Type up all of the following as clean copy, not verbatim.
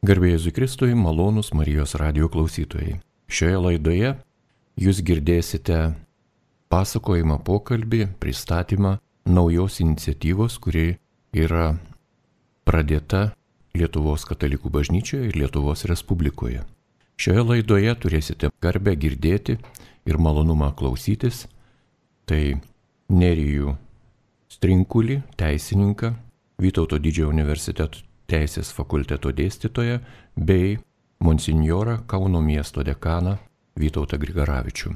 Garbė Jėzui Kristui, malonūs Marijos radijo klausytojai. Šioje laidoje jūs girdėsite pasakojimą, pokalbį, pristatymą naujos iniciatyvos, kuri yra pradėta Lietuvos katalikų bažnyčioje ir Lietuvos Respublikoje. Šioje laidoje turėsite garbę girdėti ir malonumą klausytis. Tai Nerijų Strinkulį, teisininką, Vytauto Didžiojo universiteto teisės fakulteto dėstytoją bei monsinjorą Kauno miesto dekaną Vytautą Grigaravičių.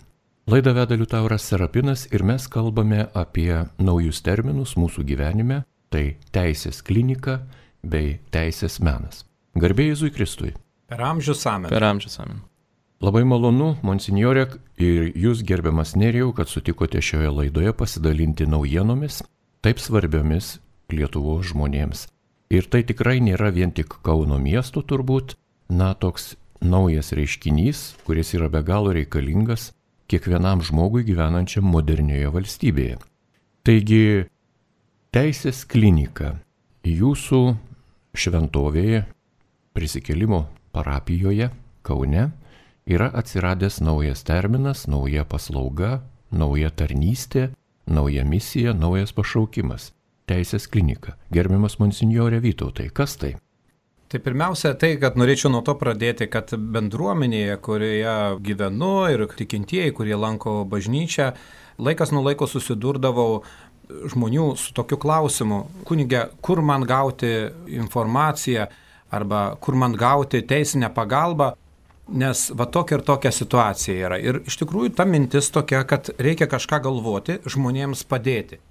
Laidą veda Liutauras Serapinas ir mes kalbame apie naujus terminus mūsų gyvenime, tai teisės klinika bei teisės menas. Garbė Jėzui Kristui. Per amžius amen. Per amžius amen. Labai malonu, monsinjorė, ir jūs, gerbiamas Nerijau, kad sutikote šioje laidoje pasidalinti naujienomis, taip svarbiomis Lietuvos žmonėms. Ir tai tikrai nėra vien tik Kauno miesto turbūt, toks naujas reiškinys, kuris yra be galo reikalingas kiekvienam žmogui gyvenančiam modernioje valstybėje. Taigi, teisės klinika jūsų šventovėje, Prisikėlimo parapijoje Kaune yra atsiradęs naujas terminas, nauja paslauga, nauja tarnystė, nauja misija, naujas pašaukimas. Teisės klinika. Gerbiamas monsinjorė Vytautai, kas tai? Tai pirmiausia tai, kad norėčiau nuo to pradėti, kad bendruomenėje, kurioje gyvenu ir tikintieji, kurie lanko bažnyčią, laikas nuo laiko susidurdavau žmonių su tokiu klausimu: kunige, kur man gauti informaciją arba kur man gauti teisinę pagalbą, nes va tokia ir tokia situacija yra. Ir iš tikrųjų ta mintis tokia, kad reikia kažką galvoti, žmonėms padėti.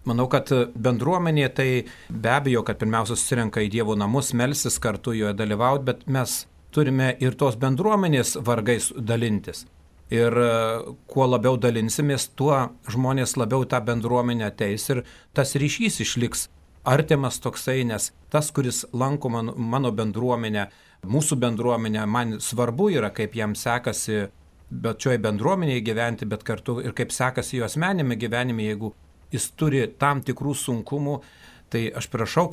Manau, kad bendruomenė tai be abejo, kad pirmiausia susirenka į Dievo namus, melsis kartu joje dalyvauti, bet mes turime ir tos bendruomenės vargais dalintis. Ir kuo labiau dalinsimės, tuo žmonės labiau tą bendruomenę ateis ir tas ryšys išliks artimas toksai, nes tas, kuris lanko mano bendruomenę, mūsų bendruomenę, man svarbu yra, kaip jam sekasi bet šioje bendruomenėje gyventi, bet kartu ir kaip sekasi jo asmeniniame gyvenime, jeigu jis turi tam tikrų sunkumų, tai aš prašau,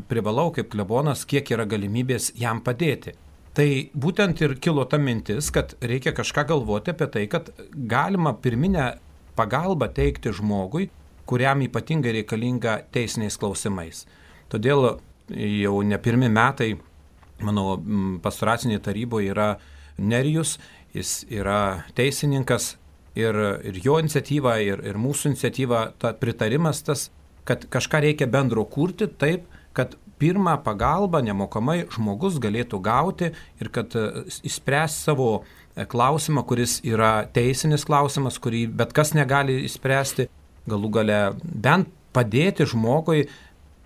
privalau kaip klebonas, kiek yra galimybės jam padėti. Tai būtent ir kilo ta mintis, kad reikia kažką galvoti apie tai, kad galima pirminę pagalbą teikti žmogui, kuriam ypatingai reikalinga teisiniais klausimais. Todėl jau ne pirmi metai mano pastoracinėje taryboje yra Nerijus, jis yra teisininkas. Ir jo iniciatyva, ir mūsų iniciatyva, pritarimas tas, kad kažką reikia bendro kurti taip, kad pirmą pagalbą nemokamai žmogus galėtų gauti ir kad išspręs savo klausimą, kuris yra teisinis klausimas, kurį bet kas negali išspręsti, galų gale bent padėti žmogui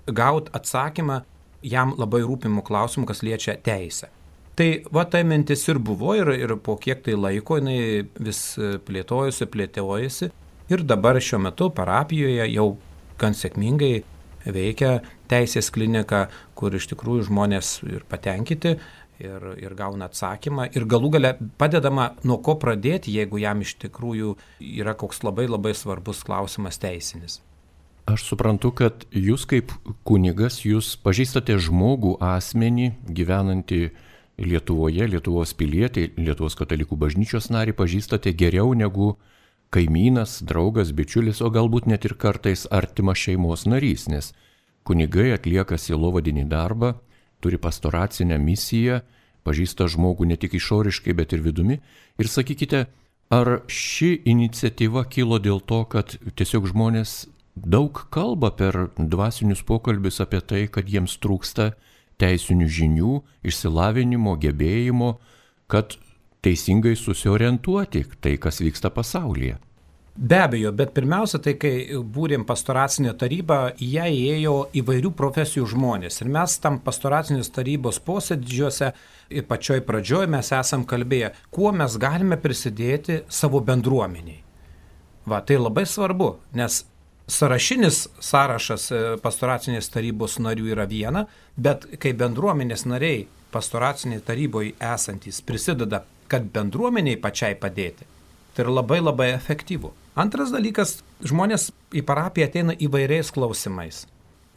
gauti atsakymą jam labai rūpimų klausimų, kas liečia teisę. Tai va tai mintis ir buvo ir po kiek tai laiko jinai vis plėtojasi ir dabar šiuo metu parapijoje jau gan sėkmingai veikia teisės klinika, kur iš tikrųjų žmonės ir patenkinti ir gauna atsakymą ir galų gale padedama nuo ko pradėti, jeigu jam iš tikrųjų yra koks labai labai svarbus klausimas teisinis. Aš suprantu, kad jūs kaip kunigas, jūs pažįstate žmogų, asmenį gyvenantį Lietuvoje, Lietuvos pilietį, Lietuvos katalikų bažnyčios narį pažįstate geriau negu kaimynas, draugas, bičiulis, o galbūt net ir kartais artimas šeimos narys, nes kunigai atlieka sielovadinį darbą, turi pastoracinę misiją, pažįsta žmogų ne tik išoriškai, bet ir vidumi. Ir sakykite, ar ši iniciatyva kilo dėl to, kad tiesiog žmonės daug kalba per dvasinius pokalbius apie tai, kad jiems trūksta teisinių žinių, išsilavinimo, gebėjimo, kad teisingai susiorientuoti tai, kas vyksta pasaulyje? Be abejo, bet pirmiausia, tai kai būrėm pastoracinę tarybą, į ją įėjo įvairių profesijų žmonės. Ir mes tam pastoracinės tarybos posėdžiuose ir pačioj pradžioj mes esam kalbėję, kuo mes galime prisidėti savo bendruomeniai. Va, tai labai svarbu, nes sąrašinis sąrašas pastoracinės tarybos narių yra viena, bet kai bendruomenės nariai pastoracinėje taryboje esantys prisideda, kad bendruomeniai pačiai padėti, tai yra labai labai efektyvu. Antras dalykas, žmonės į parapiją ateina įvairiais klausimais.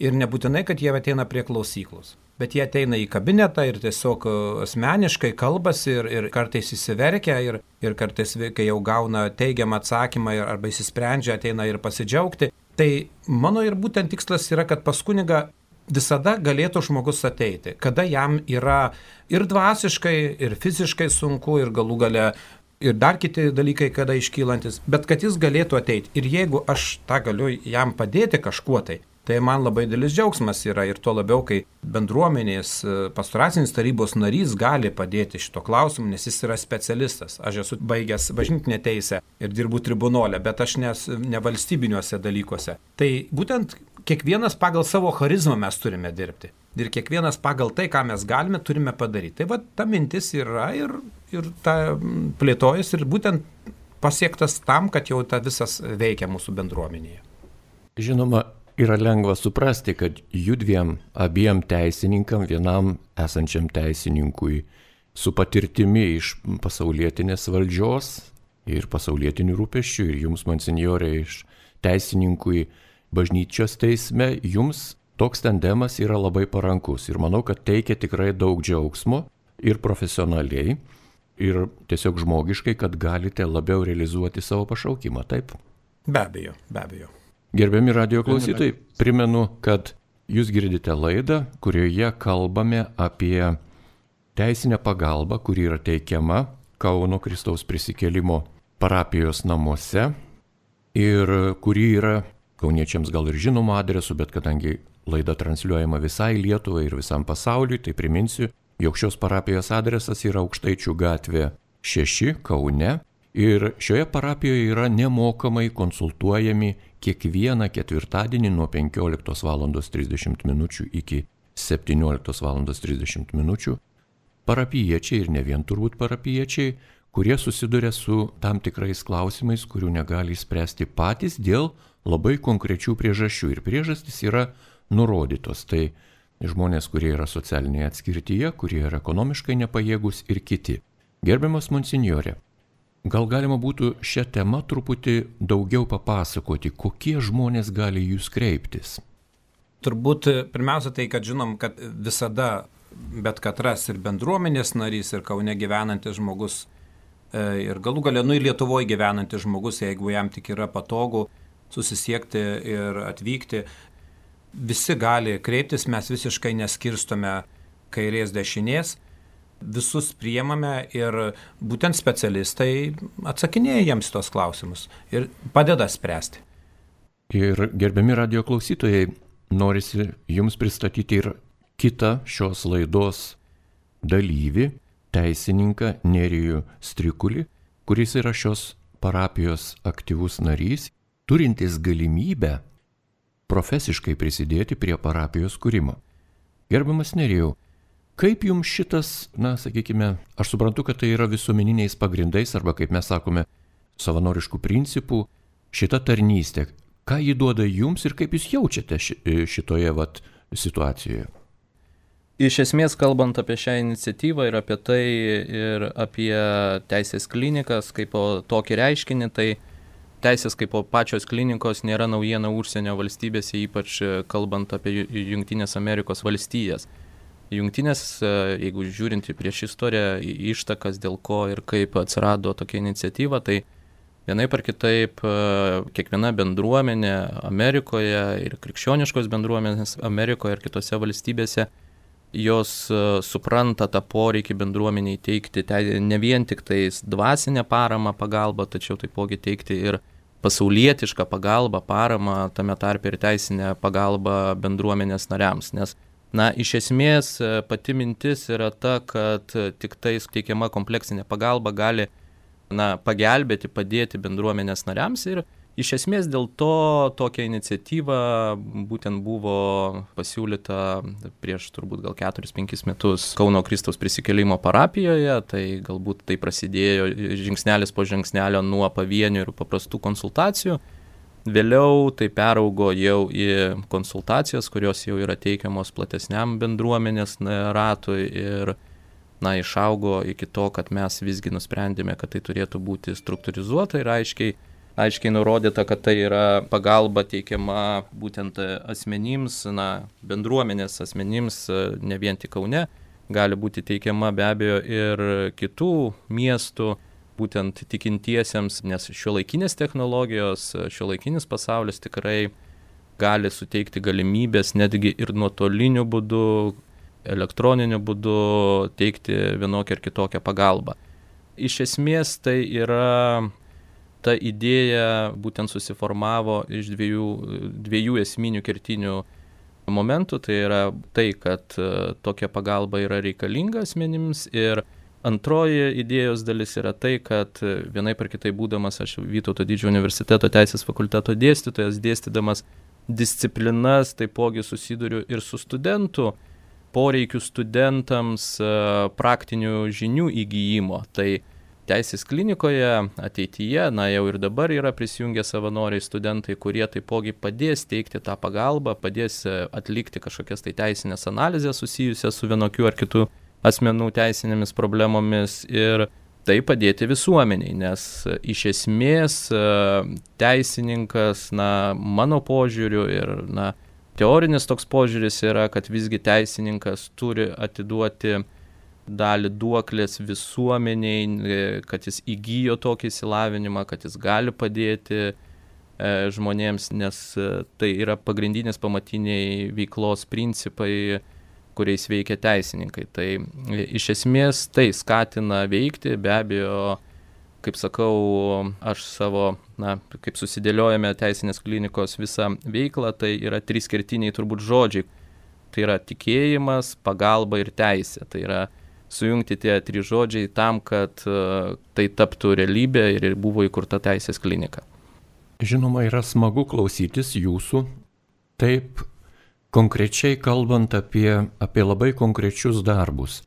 Ir nebūtinai, kad jie ateina prie klausyklos. bet jie ateina į kabinetą ir tiesiog asmeniškai kalbasi ir kartais įsiverkia ir kartais, kai jau gauna teigiamą atsakymą arba įsisprendžia, ateina ir pasidžiaugti. Tai mano ir būtent tikslas yra, kad pas kunigą visada galėtų žmogus ateiti, kada jam yra ir dvasiškai, ir fiziškai sunku, ir galų gale ir dar kiti dalykai, kada iškylantis, bet kad jis galėtų ateiti. Ir jeigu aš tą galiu jam padėti kažkuo tai man labai didelis džiaugsmas yra ir tuo labiau, kai bendruomenės pastoracinės tarybos narys gali padėti šito klausimu, nes jis yra specialistas. Aš esu baigęs bažnytinę teisę ir dirbu tribunole, bet aš ne valstybiniuose dalykuose. Tai būtent kiekvienas pagal savo charizmą mes turime dirbti. Ir kiekvienas pagal tai, ką mes galime, turime padaryti. Tai va, ta mintis yra ir ta plėtojas ir būtent pasiektas tam, kad jau ta visas veikia mūsų bendruomenėje. Žinoma, yra lengva suprasti, kad judviem abiem teisininkam, vienam esančiam teisininkui su patirtimi iš pasaulietinės valdžios ir pasaulietinių rūpesčių ir jums, monsinjorė, iš teisininkui bažnyčios teisme, jums toks tandemas yra labai parankus ir manau, kad teikia tikrai daug džiaugsmo ir profesionaliai, ir tiesiog žmogiškai, kad galite labiau realizuoti savo pašaukimą, taip? Be abejo. Gerbiami radijo klausytojai, primenu, kad jūs girdite laidą, kurioje kalbame apie teisinę pagalbą, kuri yra teikiama Kauno Kristaus prisikėlimo parapijos namuose ir kuri yra kauniečiams gal ir žinoma adresu, bet kadangi laida transliuojama visai Lietuvai ir visam pasauliui, tai priminsiu, jog šios parapijos adresas yra Aukštaičių gatvė 6 Kaune ir šioje parapijoje yra nemokamai konsultuojami kiekvieną ketvirtadienį nuo 15:30 min. Iki 17:30 min. Parapijiečiai ir ne vien turbūt parapijiečiai, kurie susiduria su tam tikrais klausimais, kurių negali spręsti patys dėl labai konkrečių priežasčių. Ir priežastys yra nurodytos. Tai žmonės, kurie yra socialinėje atskirtyje, kurie yra ekonomiškai nepajėgus ir kiti. Gerbiamas monsinjorė, gal galima būtų šią temą truputį daugiau papasakoti, kokie žmonės gali jūs kreiptis? Turbūt pirmiausia tai, kad žinom, kad visada bet katras ir bendruomenės narys, ir Kaune gyvenantis žmogus, ir galų gale, ir Lietuvoje gyvenantis žmogus, jeigu jam tik yra patogu susisiekti ir atvykti, visi gali kreiptis, mes visiškai neskirstome kairės dešinės, visus priemame ir būtent specialistai atsakinėja jiems tos klausimus ir padeda spręsti. Ir gerbiami radijo klausytojai, norisi jums pristatyti ir kitą šios laidos dalyvį, teisininką Nerijų Strikulį, kuris yra šios parapijos aktyvus narys, turintis galimybę profesiškai prisidėti prie parapijos kūrimo. Gerbiamas Nerijau, kaip jums šitas, sakykime, aš suprantu, kad tai yra visuomeniniais pagrindais arba, kaip mes sakome, savanoriškų principų, šita tarnystė, ką ji duoda jums ir kaip jūs jaučiate šitoje situacijoje? Iš esmės, kalbant apie šią iniciatyvą ir apie tai, ir apie teisės klinikas kaip tokį reiškinį, tai teisės kaip pačios klinikos nėra naujiena užsienio valstybėse, ypač kalbant apie Jungtinės Amerikos valstijas. Jungtinės, jeigu žiūrint į prieš istoriją, ištakas dėl ko ir kaip atsirado tokia iniciatyva, tai vienaip ar kitaip kiekviena bendruomenė Amerikoje ir krikščioniškos bendruomenės Amerikoje ir kitose valstybėse, jos supranta tą poreikį bendruomeniai teikti ne vien tik tais dvasinę paramą, pagalbą, tačiau taipogi teikti ir pasaulietišką pagalbą, paramą, tame tarpe ir teisinę pagalbą bendruomenės nariams. Nes, iš esmės pati mintis yra ta, kad tik tai teikiama kompleksinė pagalba gali pagelbėti, padėti bendruomenės nariams ir iš esmės dėl to tokia iniciatyva būtent buvo pasiūlyta prieš turbūt gal 4-5 metus Kauno Kristaus prisikėlimo parapijoje, tai galbūt tai prasidėjo žingsnelis po žingsnelio nuo pavienių ir paprastų konsultacijų. Vėliau tai peraugo jau į konsultacijas, kurios jau yra teikiamos platesniam bendruomenės ratui ir išaugo iki to, kad mes visgi nusprendėme, kad tai turėtų būti struktūrizuota ir aiškiai aiškiai nurodyta, kad tai yra pagalba teikiama būtent asmenims, bendruomenės asmenims, ne vien tik Kaune, gali būti teikiama be abejo ir kitų miestų, būtent tikintiesiems, nes šiuolaikinės technologijos, šiuolaikinis pasaulis tikrai gali suteikti galimybės netgi ir nuotoliniu būdu, elektroniniu būdu teikti vienokią ar kitokią pagalbą. Iš esmės tai yra, ta idėja būtent susiformavo iš dviejų esminių kertinių momentų. Tai yra tai, kad tokia pagalba yra reikalinga asmenims, ir antroji idėjos dalis yra tai, kad vienaip ar kitaip būdamas aš Vytauto Didžiojo universiteto teisės fakulteto dėstytojas, dėstydamas disciplinas, taipogi susiduriu ir su studentų poreikių studentams praktinių žinių įgyjimo. Tai teisės klinikoje ateityje, jau ir dabar yra prisijungę savanoriai studentai, kurie taipogi padės teikti tą pagalbą, padės atlikti kažkokias tai teisinės analizės susijusias su vienokiu ar kitu asmenų teisinėmis problemomis ir tai padėti visuomeniai, nes iš esmės teisininkas, mano požiūriu ir teorinis toks požiūris yra, kad visgi teisininkas turi atiduoti dalį duoklės visuomeniai, kad jis įgijo tokį išsilavinimą, kad jis gali padėti žmonėms, nes tai yra pagrindinis pamatiniai veiklos principai, kuriais veikia teisininkai. Tai iš esmės tai skatina veikti, be abejo, kaip sakau, aš savo, kaip susidėliojame teisinės klinikos visą veiklą, tai yra 3 kertiniai turbūt žodžiai. Tai yra tikėjimas, pagalba ir teisė. Tai yra sujungti tie 3 žodžiai tam, kad tai taptų realybė ir buvo įkurta teisės klinika. Žinoma, yra smagu klausytis jūsų, taip konkrečiai kalbant apie labai konkrečius darbus.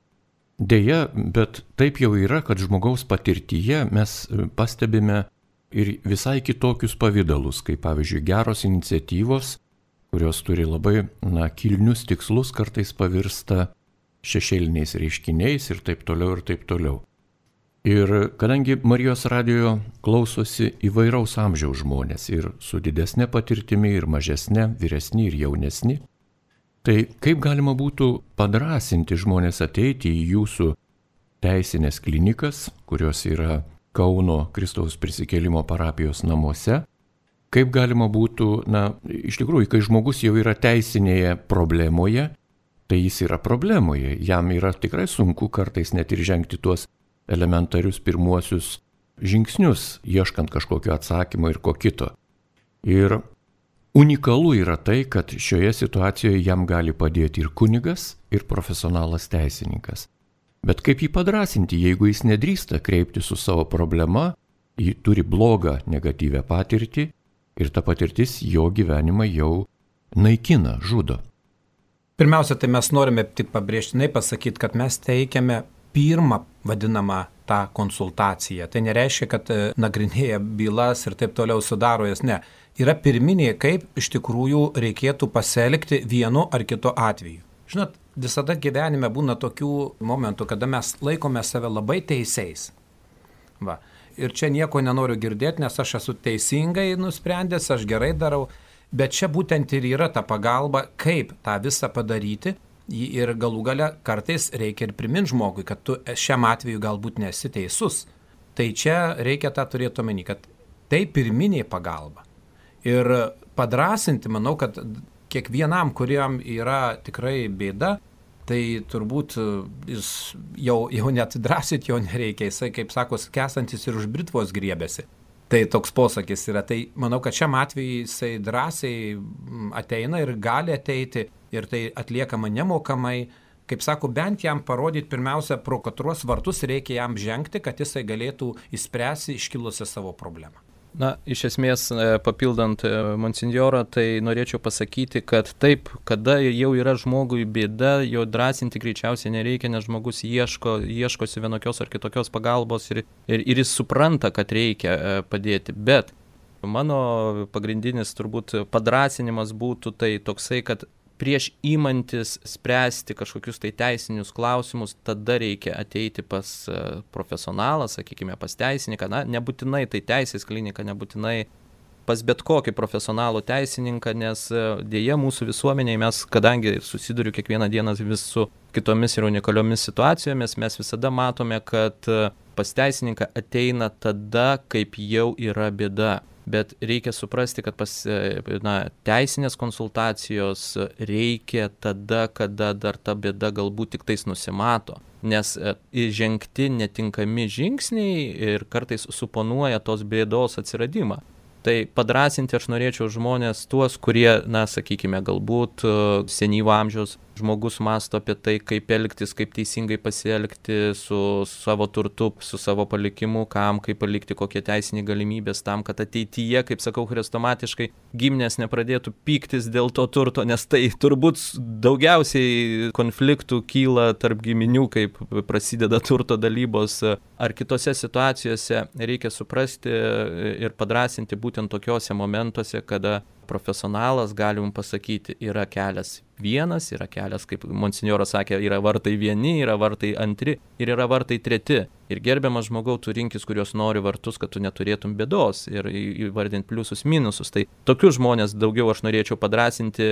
Deja, bet taip jau yra, kad žmogaus patirtyje mes pastebime ir visai kitokius pavydalus, kaip pavyzdžiui geros iniciatyvos, kurios turi labai kilnius tikslus, kartais pavirsta šešėliniais reiškiniais ir taip toliau ir taip toliau. Ir kadangi Marijos radijo klausosi įvairaus amžiaus žmonės ir su didesnė patirtimi ir mažesnė, vyresni ir jaunesni, tai kaip galima būtų padrąsinti žmonės ateiti į jūsų teisinės klinikas, kurios yra Kauno Kristaus prisikėlimo parapijos namuose, kaip galima būtų, iš tikrųjų, kai žmogus jau yra teisinėje problemoje, tai jis yra problemoje, jam yra tikrai sunku kartais net ir žengti tuos elementarius pirmuosius žingsnius, ieškant kažkokio atsakymo ir ko kito. Ir unikalu yra tai, kad šioje situacijoje jam gali padėti ir kunigas, ir profesionalas teisininkas. Bet kaip jį padrąsinti, jeigu jis nedrįsta kreipti su savo problema, jį turi blogą negatyvę patirtį ir ta patirtis jo gyvenimą jau naikina, žudo. Pirmiausia, tai mes norime tik pabrėžtinai pasakyti, kad mes teikiame pirmą vadinamą tą konsultaciją. Tai nereiškia, kad nagrinėja bylas ir taip toliau sudaro jas, ne. Yra pirminiai, kaip iš tikrųjų reikėtų pasielgti vienu ar kitu atveju. Žinot, visada gyvenime būna tokių momentų, kada mes laikome save labai teisiais. Va. Ir čia nieko nenoriu girdėti, nes aš esu teisingai nusprendęs, aš gerai darau, bet čia būtent ir yra ta pagalba, kaip tą visą padaryti. Ir galų gale kartais reikia ir priminti žmogui, kad tu šiam atveju galbūt nesi teisus. Tai čia reikia tą turėti omeny, kad tai pirminė pagalba. Ir padrąsinti, manau, kad kiekvienam, kuriam yra tikrai bėda, tai turbūt jis jau net drąsyti jo nereikia, jisai, kaip sako, skęstantis ir už britvos griebėsi. Tai toks posakis yra. Tai manau, kad šiam atveju jisai drąsiai ateina ir gali ateiti ir tai atliekama nemokamai. Kaip sako, bent jam parodyti pirmiausia, pro katros vartus reikia jam žengti, kad jisai galėtų išspręsti iškilusią savo problemą. Iš esmės, papildant monsinjorą, tai norėčiau pasakyti, kad taip, kada jau yra žmogui bėda, jo drąsinti greičiausiai nereikia, nes žmogus ieškosi vienokios ar kitokios pagalbos ir jis supranta, kad reikia padėti. Bet mano pagrindinis turbūt padrąsinimas būtų tai toksai, kad prieš įmantis spręsti kažkokius tai teisinius klausimus, tada reikia ateiti pas profesionalą, sakykime, pas teisininką, nebūtinai tai teisės klinika, nebūtinai pas bet kokį profesionalų teisininką, nes dėja mūsų visuomenėje mes, kadangi susiduriu kiekvieną dieną vis su kitomis ir unikaliomis situacijomis, mes visada matome, kad pas teisininką ateina tada, kaip jau yra bėda. Bet reikia suprasti, kad teisinės konsultacijos reikia tada, kada dar ta bėda galbūt tik tais nusimato. Nes žengti netinkami žingsniai ir kartais suponuoja tos bėdos atsiradimą. Tai padrąsinti aš norėčiau žmonės tuos, kurie, sakykime, galbūt senyvo amžiaus žmogus mąsto apie tai, kaip elgtis, kaip teisingai pasielgti su savo turtu, su savo palikimu, kam, kaip palikti, kokie teisiniai galimybės tam, kad ateityje, kaip sakau, chrestomatiškai giminės nepradėtų pyktis dėl to turto, nes tai turbūt daugiausiai konfliktų kyla tarp giminių, kaip prasideda turto dalybos ar kitose situacijose. Reikia suprasti ir padrąsinti būtent tokiuose momentuose, kada profesionalas gali jums pasakyti, yra kelias vienas, yra kelias, kaip monsinjoras sakė, yra vartai vieni, yra vartai antri ir yra vartai treti. Ir gerbiamas žmogau, tu rinkis, kurios nori vartus, kad tu neturėtum bėdos ir įvardinti pliusus, minusus. Tai tokius žmonės daugiau aš norėčiau padrąsinti,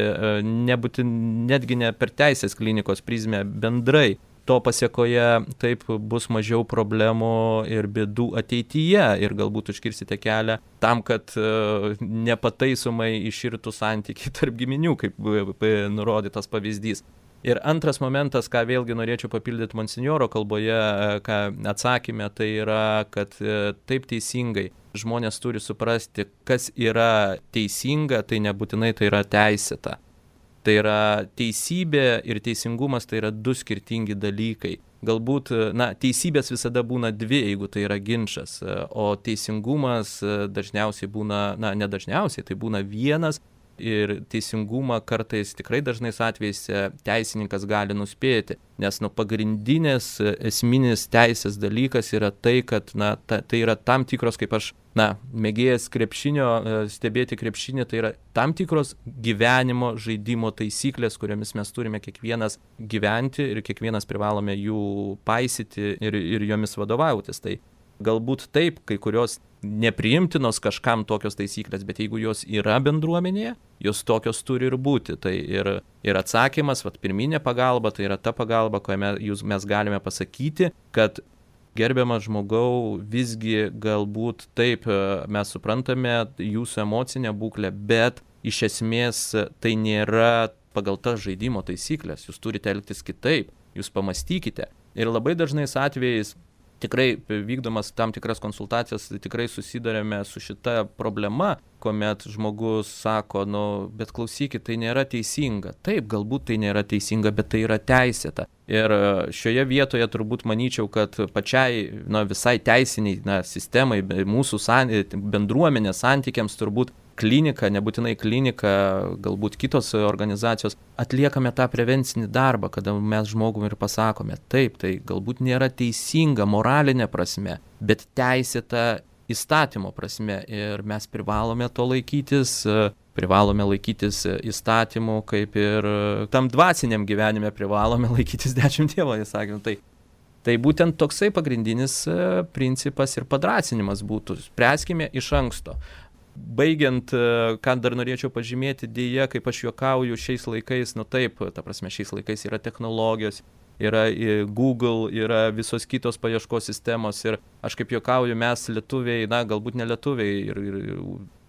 netgi ne per teisės klinikos prizmę, bendrai. To pasiekoje taip bus mažiau problemų ir bėdų ateityje ir galbūt užkirsite kelią tam, kad nepataisomai iširtų santykiai tarp giminių, kaip nurodytas pavyzdys. Ir antras momentas, ką vėlgi norėčiau papildyti monsinjoro kalboje, ką atsakymė, tai yra, kad taip teisingai žmonės turi suprasti, kas yra teisinga, tai nebūtinai tai yra teisėta. Tai yra teisybė ir teisingumas, tai yra du skirtingi dalykai. Galbūt, teisybės visada būna dvi, jeigu tai yra ginčas, o teisingumas dažniausiai būna, nedažniausiai, tai būna vienas. Ir teisingumą kartais tikrai dažnais atvejais teisininkas gali nuspėti, nes pagrindinės esminis teisės dalykas yra tai, kad tai yra tam tikros, kaip aš mėgėjas krepšinio, stebėti krepšinį, tai yra tam tikros gyvenimo žaidimo taisyklės, kuriomis mes turime kiekvienas gyventi ir kiekvienas privalome jų paisyti ir jomis vadovautis. Tai galbūt taip, kai kurios nepriimtinos kažkam tokios taisyklės, bet jeigu jos yra bendruomenėje, jos tokios turi ir būti. Tai ir atsakymas, pirminė pagalba, tai yra ta pagalba, kurioje mes galime pasakyti, kad gerbiamas žmogau, visgi galbūt taip mes suprantame jūsų emocinę būklę, bet iš esmės tai nėra pagal tas žaidimo taisyklės, jūs turite elgtis kitaip, jūs pamastykite. Ir labai dažnais atvejais tikrai vykdomas tam tikras konsultacijas, tikrai susidarėme su šita problema, kuomet žmogus sako, bet klausykit, tai nėra teisinga. Taip, galbūt tai nėra teisinga, bet tai yra teisėta. Ir šioje vietoje turbūt manyčiau, kad pačiai visai teisiniai sistemai, mūsų bendruomenės santykiams turbūt klinika, nebūtinai klinika, galbūt kitos organizacijos, atliekame tą prevencinį darbą, kada mes žmogum ir pasakome, taip, tai galbūt nėra teisinga moralinė prasme, bet teisėta įstatymo prasme ir mes privalome to laikytis, privalome laikytis įstatymų, kaip ir tam dvasiniam gyvenime privalome laikytis 10 Dievo įsakymų. Tai būtent toksai pagrindinis principas ir padrąsinimas būtų, spręskime iš anksto. Baigiant, ką dar norėčiau pažymėti, dėja, kaip aš juokauju šiais laikais, šiais laikais yra technologijos, yra Google, yra visos kitos paieškos sistemos ir aš kaip juokauju, mes lietuviai, galbūt ne lietuviai ir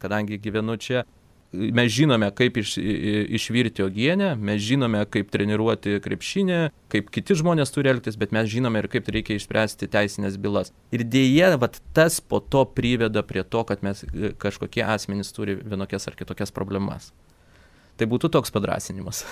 kadangi gyvenu čia, mes žinome, kaip išvirti uogienę, mes žinome, kaip treniruoti krepšinį, kaip kiti žmonės turi elgtis, bet mes žinome ir kaip reikia išspręsti teisinės bylas. Ir dėja, tas po to priveda prie to, kad mes kažkokie asmenys turi vienokias ar kitokias problemas. Tai būtų toks padrąsinimas.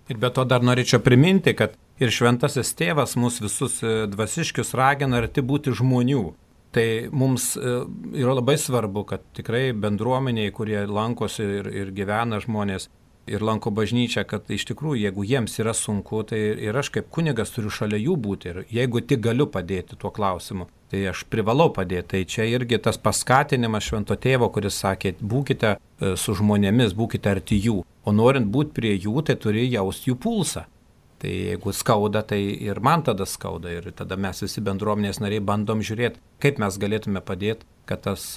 Ir be to dar norėčiau priminti, kad ir šventasis tėvas mus visus dvasiškius ragina arti būti žmonių. Tai mums yra labai svarbu, kad tikrai bendruomeniai, kurie lankosi ir gyvena žmonės ir lanko bažnyčią, kad iš tikrųjų, jeigu jiems yra sunku, tai ir aš kaip kunigas turiu šalia jų būti ir jeigu tik galiu padėti tuo klausimu, tai aš privalau padėti. Tai čia irgi tas paskatinimas švento tėvo, kuris sakė, būkite su žmonėmis, būkite arti jų. O norint būti prie jų, tai turi jausti jų pulsą. Tai jeigu skauda, tai ir man tada skauda. Ir tada mes visi bendruomenės nariai bandom žiūrėti, kaip mes galėtume padėti, kad tas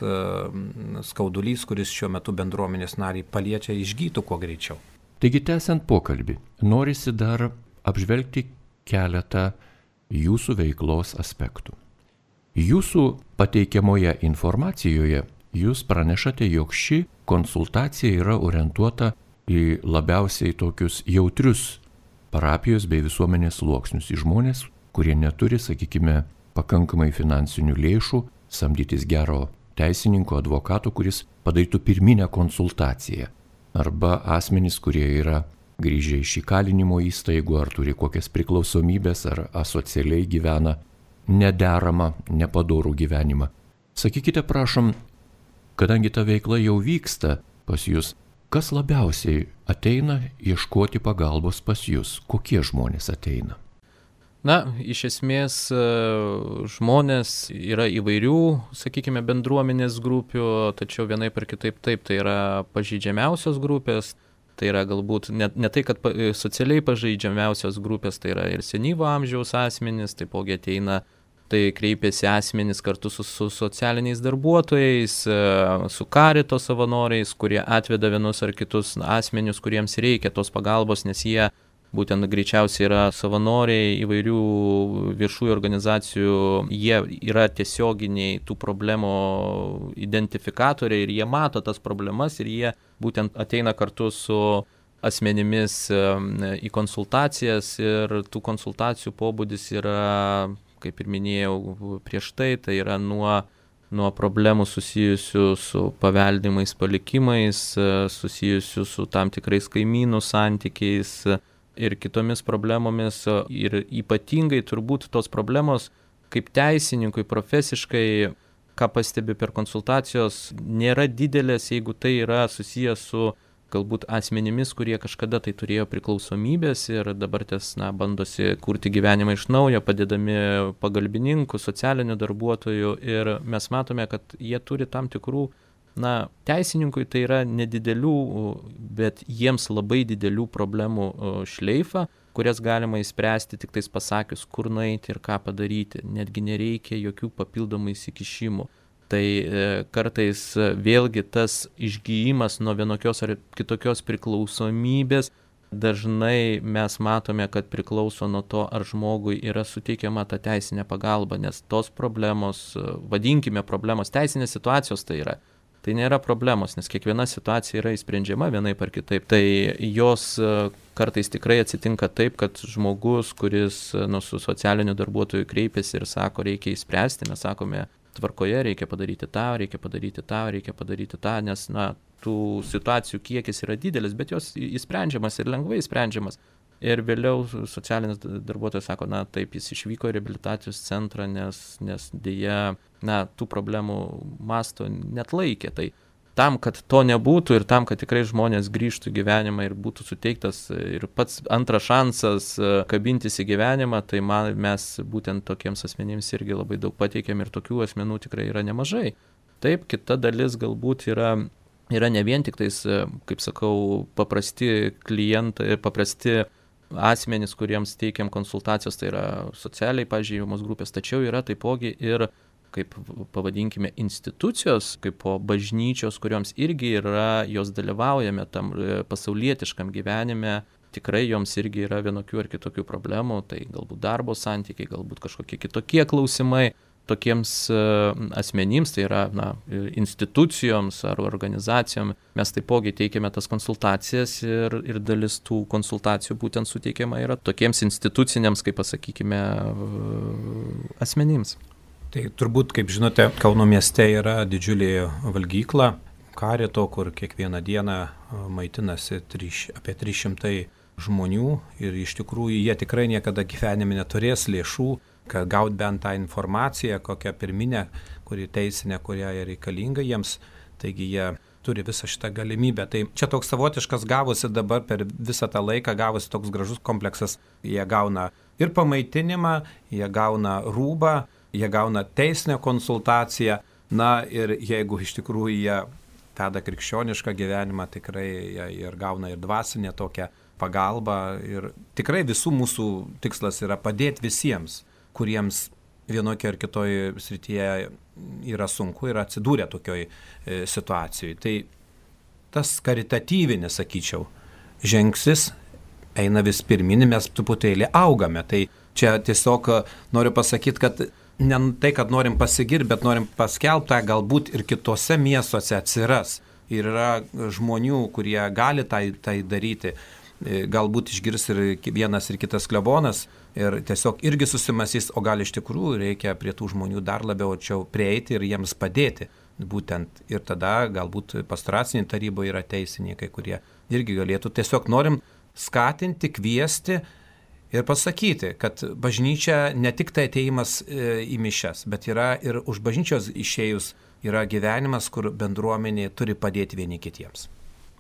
skaudulys, kuris šiuo metu bendruomenės nariai paliečia, išgytų kuo greičiau. Taigi, tęsiant pokalbį, norisi dar apžvelgti keletą jūsų veiklos aspektų. Jūsų pateikiamoje informacijoje jūs pranešate, jog ši konsultacija yra orientuota į labiausiai tokius jautrius parapijos bei visuomenės sluoksnius, į žmonės, kurie neturi, sakykime, pakankamai finansinių lėšų samdytis gero teisininko, advokato, kuris padarytų pirminę konsultaciją. Arba asmenys, kurie yra grįžę iš įkalinimo įstaigų, ar turi kokias priklausomybės, ar asocialiai gyvena nederamą, nepadorų gyvenimą. Sakykite, prašom, kadangi ta veikla jau vyksta pas jūs, kas labiausiai ateina ieškoti pagalbos pas jūs? Kokie žmonės ateina? Na, iš esmės žmonės yra įvairių, sakykime, bendruomenės grupių, tačiau vienaip ar kitaip taip, tai yra pažeidžiamiausios grupės, tai yra galbūt ne tai, kad socialiai pažeidžiamiausios grupės, tai yra ir senyvo amžiaus asmenys, taipogi ateina, tai kreipiasi asmenys kartu su socialiniais darbuotojais, su karito savanoriais, kurie atveda vienus ar kitus asmenius, kuriems reikia tos pagalbos, nes jie būtent greičiausiai yra savanoriai įvairių viešųjų organizacijų, jie yra tiesioginiai tų problemų identifikatoriai ir jie mato tas problemas ir jie būtent ateina kartu su asmenimis į konsultacijas ir tų konsultacijų pobūdis yra, kaip ir minėjau prieš tai yra nuo problemų susijusių su paveldimais palikimais, susijusių su tam tikrais kaimynų santykiais ir kitomis problemomis. Ir ypatingai turbūt tos problemos kaip teisininkui profesiškai, ką pastebi per konsultacijos, nėra didelės, jeigu tai yra susijęs su galbūt asmenimis, kurie kažkada tai turėjo priklausomybės ir dabar bandosi kurti gyvenimą iš naujo, padedami pagalbininkų, socialinių darbuotojų ir mes matome, kad jie turi tam tikrų, teisininkui tai yra nedidelių, bet jiems labai didelių problemų šleifą, kurias galima išspręsti tik tais pasakius, kur nueiti ir ką padaryti, netgi nereikia jokių papildomų įsikišimų. Tai kartais vėlgi tas išgijimas nuo vienokios ar kitokios priklausomybės, dažnai mes matome, kad priklauso nuo to, ar žmogui yra suteikiama ta teisinė pagalba, nes tos problemos, vadinkime problemos, teisinės situacijos tai nėra problemos, nes kiekviena situacija yra įsprendžiama vienaip ar kitaip. Tai jos kartais tikrai atsitinka taip, kad žmogus, kuris su socialiniu darbuotoju kreipiasi ir sako, reikia įspręsti, mes sakome, tvarkoje, reikia padaryti tą, nes tų situacijų kiekis yra didelis, bet jos įsprendžiamas ir lengvai įsprendžiamas. Ir vėliau socialinis darbuotojas sako, taip, jis išvyko į reabilitacijos centrą, nes dėja, tų problemų masto neatlaikė. Tai tam, kad to nebūtų ir tam, kad tikrai žmonės grįžtų į gyvenimą ir būtų suteiktas ir pats antras šansas kabintis į gyvenimą, tai mes būtent tokiems asmenims irgi labai daug pateikėm ir tokių asmenų tikrai yra nemažai. Taip, kita dalis galbūt yra ne vien tik tais, kaip sakau, paprasti klientai, paprasti asmenys, kuriems teikiam konsultacijos, tai yra socialiai pažeidžiamos grupės, tačiau yra taipogi ir, kaip pavadinkime, institucijos, kaip bažnyčios, kurioms irgi yra, jos dalyvaujame tam pasaulietiškam gyvenime, tikrai joms irgi yra vienokių ar kitokių problemų, tai galbūt darbo santykiai, galbūt kažkokie kitokie klausimai. Tokiems asmenims, tai yra institucijoms ar organizacijom, mes taipogi teikiame tas konsultacijas ir dalis tų konsultacijų būtent suteikiama yra tokiems instituciniams, kaip pasakykime, asmenims. Tai turbūt, kaip žinote, Kauno mieste yra didžiulė valgykla karito, kur kiekvieną dieną maitinasi apie 300 žmonių ir iš tikrųjų jie tikrai niekada gyvenime neturės lėšų, kad gaut bent tą informaciją, kokią pirminę, kuri teisinė, kuria reikalinga jiems, taigi jie turi visą šitą galimybę. Tai čia toks savotiškas gavosi dabar per visą tą laiką, gavosi toks gražus kompleksas. Jie gauna ir pamaitinimą, jie gauna rūbą, jie gauna teisinę konsultaciją, ir jeigu iš tikrųjų jie veda krikščionišką gyvenimą, tikrai ir gauna ir dvasinę tokią pagalbą. Ir tikrai visų mūsų tikslas yra padėti visiems, kuriems vienokia ar kitoje srityje yra sunku ir atsidūrė tokioj situacijoje. Tai tas karitatyvinis, sakyčiau, žingsnis eina vis pirmin, mes truputėlį augame. Tai čia tiesiog noriu pasakyti, kad ne tai, kad norim pasigirti, bet norim paskelbtą, galbūt ir kitose miestuose atsiras. Ir yra žmonių, kurie gali tai daryti. Galbūt išgirs ir vienas ir kitas klebonas ir tiesiog irgi susimąstys, o gal iš tikrųjų reikia prie tų žmonių dar labiau arčiau prieiti ir jiems padėti. Būtent ir tada galbūt pastoracinė taryboje yra teisininkai, kurie irgi galėtų. Tiesiog norim skatinti, kviesti ir pasakyti, kad bažnyčia ne tik tai ateimas į mišias, bet yra ir už bažnyčios išėjus yra gyvenimas, kur bendruomenė turi padėti vieni kitiems.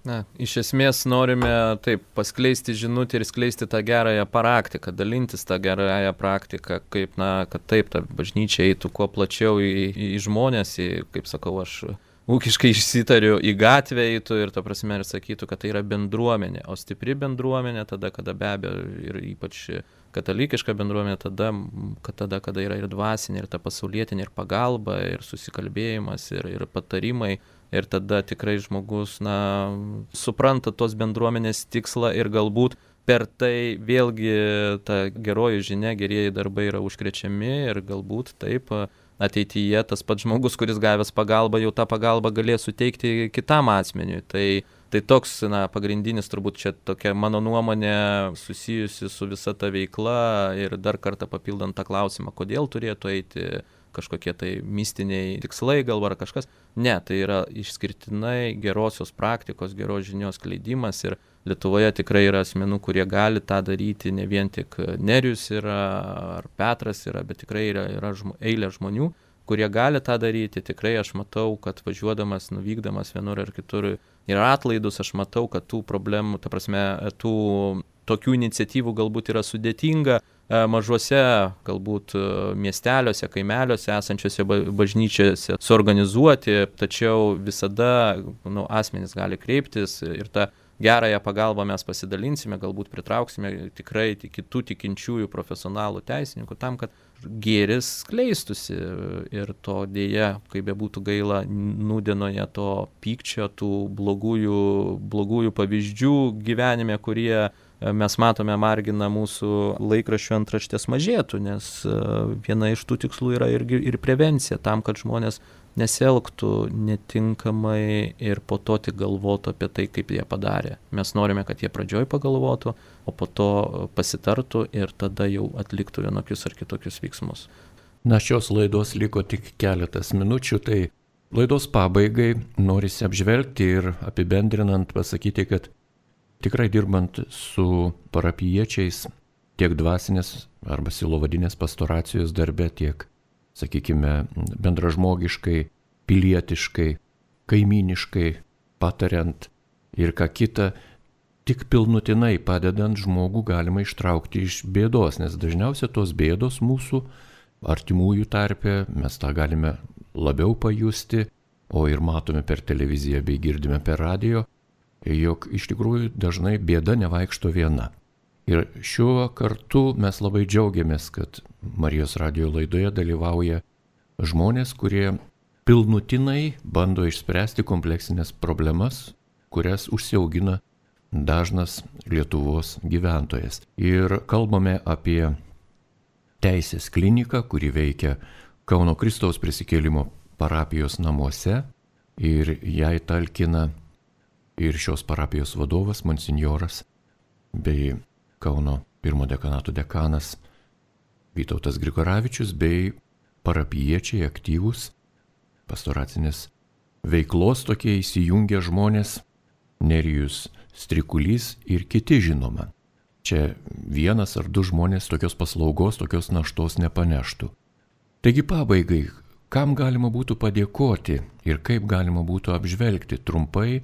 Na, iš esmės norime taip paskleisti žinutę ir skleisti tą gerąją praktiką, dalintis tą gerąją praktiką, kaip, kad taip, ta bažnyčia eitų kuo plačiau į žmonės, kaip sakau, aš ūkiškai išsitariu, į gatvę eitų ir ta prasme ir sakytų, kad tai yra bendruomenė, o stipri bendruomenė tada, kada be abejo ir ypač katalikiška bendruomenė, tada, kada yra ir dvasinė, ir ta pasaulietinė, ir pagalba, ir susikalbėjimas, ir patarimai. Ir tada tikrai žmogus, supranta tos bendruomenės tikslą ir galbūt per tai vėlgi ta geroji žinia, gerieji darbai yra užkrečiami ir galbūt taip ateityje tas pats žmogus, kuris gavęs pagalbą, jau tą pagalbą galės suteikti kitam asmeniui. Tai toks, pagrindinis turbūt čia tokia mano nuomonė susijusi su visa ta veikla ir dar kartą papildant tą klausimą, kodėl turėtų eiti kažkokie tai mistiniai tikslai gal ar kažkas. Ne, tai yra išskirtinai gerosios praktikos, geros žinios skleidimas ir Lietuvoje tikrai yra asmenų, kurie gali tą daryti, ne vien tik Nerijus yra ar Petras yra, bet tikrai yra eilė žmonių, kurie gali tą daryti. Tikrai aš matau, kad važiuodamas, nuvykdamas vienur ar kitur ir atlaidus, aš matau, kad tų problemų, ta prasme, tų tokių iniciatyvų galbūt yra sudėtinga mažuose, galbūt miesteliuose, kaimeliuose esančiose bažnyčiose suorganizuoti, tačiau visada asmenys gali kreiptis ir tą gerąją pagalbą mes pasidalinsime, galbūt pritrauksime tikrai kitų tikinčiųjų profesionalų teisininkų tam, kad gėris skleistusi ir to dėja, kaip bebūtų gaila, nūdienoje to pykčio, tų blogųjų pavyzdžių gyvenime, kurie mes matome margina mūsų laikraščių antraštės mažėtų, nes viena iš tų tikslų yra ir prevencija tam, kad žmonės nesielgtų netinkamai ir po to tik galvotų apie tai, kaip jie padarė. Mes norime, kad jie pradžioj pagalvotų, o po to pasitartų ir tada jau atliktų vienokius ar kitokius veiksmus. Šios laidos liko tik keletas minučių, tai laidos pabaigai norisi apžvelgti ir apibendrinant pasakyti, kad tikrai dirbant su parapijiečiais tiek dvasinės arba silovadinės pastoracijos darbe, tiek, sakykime, bendražmogiškai, pilietiškai, kaimyniškai, patariant ir ką kita, tik pilnutinai padedant žmogų galima ištraukti iš bėdos, nes dažniausiai tos bėdos mūsų artimųjų tarpe, mes tą galime labiau pajusti, o ir matome per televiziją bei girdime per radijo, jog iš tikrųjų dažnai bėda nevaikšto viena. Ir šiuo kartu mes labai džiaugiamės, kad Marijos radijo laidoje dalyvauja žmonės, kurie pilnutinai bando išspręsti kompleksinės problemas, kurias užsiaugina dažnas Lietuvos gyventojas. Ir kalbame apie teisės kliniką, kuri veikia Kauno Kristaus Prisikėlimo parapijos namuose ir jai talkina ir šios parapijos vadovas, monsinjoras, bei Kauno pirmo dekanato dekanas Vytautas Grigoravičius, bei parapijiečiai aktyvūs pastoracinės veiklos tokie įsijungę žmonės, Nerijus Strikulys ir kiti žinoma. Čia vienas ar du žmonės tokios paslaugos, tokios naštos nepaneštų. Taigi pabaigai, kam galima būtų padėkoti ir kaip galima būtų apžvelgti trumpai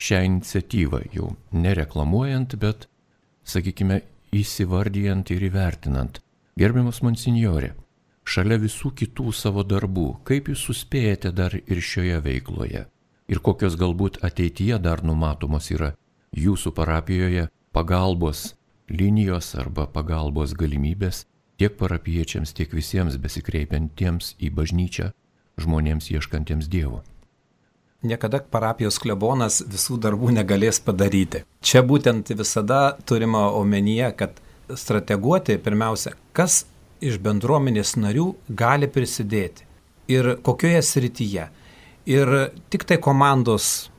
šią iniciatyvą, jau nereklamuojant, bet, sakykime, įsivardijant ir įvertinant. Gerbiamas monsinjore, šalia visų kitų savo darbų, kaip jūs suspėjate dar ir šioje veikloje? ir kokios galbūt ateityje dar numatomos yra jūsų parapijoje pagalbos linijos arba pagalbos galimybės tiek parapiečiams, tiek visiems besikreipiantiems į bažnyčią žmonėms ieškantiems Dievo. Niekada parapijos klebonas visų darbų negalės padaryti. Čia būtent visada turima omenyje, kad strateguoti pirmiausia, kas iš bendruomenės narių gali prisidėti ir kokioje srityje. Ir tik tai komandos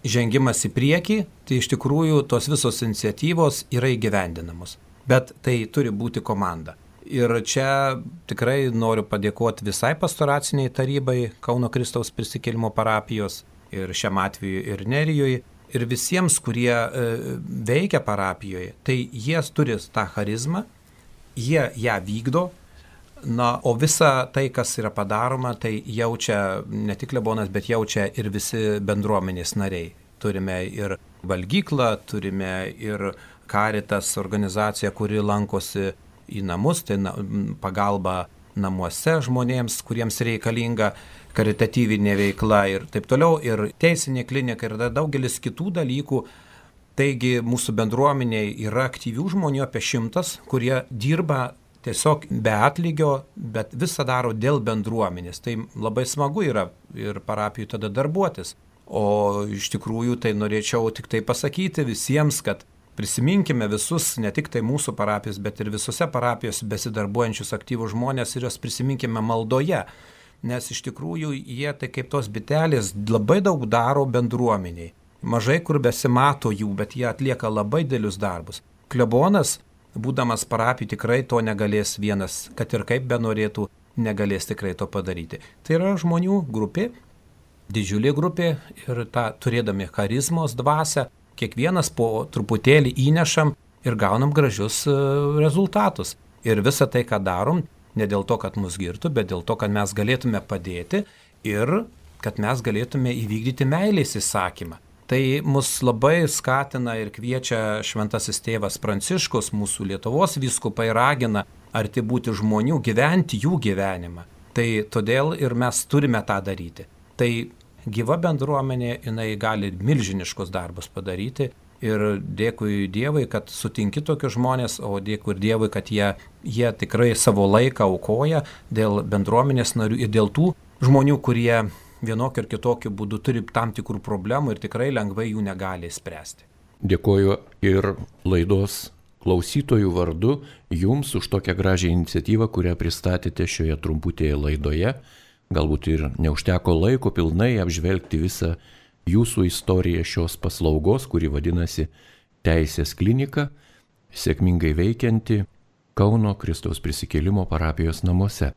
žengimas į priekį, tai iš tikrųjų tos visos iniciatyvos yra įgyvendinamos. Bet tai turi būti komanda. Ir čia tikrai noriu padėkoti visai pastoraciniai tarybai Kauno Kristaus prisikėlimo parapijos ir šiam atveju ir Nerijoje. Ir visiems, kurie veikia parapijoje, tai jie turi tą charizmą, jie ją vykdo. Na, o visa tai, kas yra padaroma, tai jaučia ne tik klebonas, bet jaučia ir visi bendruomenės nariai. Turime ir valgyklą, turime ir Caritas organizaciją, kuri lankosi į namus, tai pagalba namuose žmonėms, kuriems reikalinga karitatyvinė veikla ir taip toliau, ir teisinė klinika ir daugelis kitų dalykų. Taigi mūsų bendruomenėje yra aktyvių žmonių apie 100, kurie dirba tiesiog be atlygio, bet visą daro dėl bendruomenės. Tai labai smagu yra ir parapijų tada darbuotis. O iš tikrųjų tai norėčiau tik tai pasakyti visiems, kad prisiminkime visus, ne tik tai mūsų parapijos, bet ir visose parapijos besidarbuojančius aktyvus žmonės ir juos prisiminkime maldoje. Nes iš tikrųjų jie tai kaip tos bitelės labai daug daro bendruomeniai. Mažai kur besimato jų, bet jie atlieka labai didelius darbus. Klebonas, būdamas parapijų, tikrai to negalės vienas, kad ir kaip benorėtų, negalės tikrai to padaryti. Tai yra žmonių grupė, didžiulė grupė ir tą turėdami charizmos dvasią, kiekvienas po truputėlį įnešam ir gaunam gražius rezultatus. Ir visą tai, ką darom, ne dėl to, kad mus girtų, bet dėl to, kad mes galėtume padėti ir kad mes galėtume įvykdyti meilės įsakymą. Tai mus labai skatina ir kviečia šventasis tėvas Pranciškus, mūsų Lietuvos vyskupai ragina arti būti žmonių, gyventi jų gyvenimą. Tai todėl ir mes turime tą daryti. Tai gyva bendruomenė, jinai gali milžiniškus darbus padaryti ir dėkui Dievui, kad sutinki tokius žmonės, o dėkui ir Dievui, kad jie tikrai savo laiką aukoja dėl bendruomenės narių ir dėl tų žmonių, kurie vienokiu ir kitokiu būdu turi tam tikrų problemų ir tikrai lengvai jų negali spręsti. Dėkoju ir laidos klausytojų vardu jums už tokią gražią iniciatyvą, kurią pristatėte šioje trumputėje laidoje. Galbūt ir neužteko laiko pilnai apžvelgti visą jūsų istoriją šios paslaugos, kuri vadinasi Teisės klinika, sėkmingai veikianti Kauno Kristaus prisikėlimo parapijos namuose.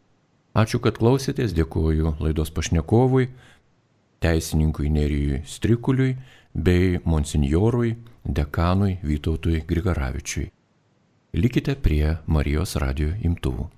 Ačiū, kad klausėtės, dėkoju laidos pašnekovui, teisininkui Nerijui Strikuliui bei monsinjorui, dekanui Vytautui Grigaravičiui. Likite prie Marijos radijo imtuvų.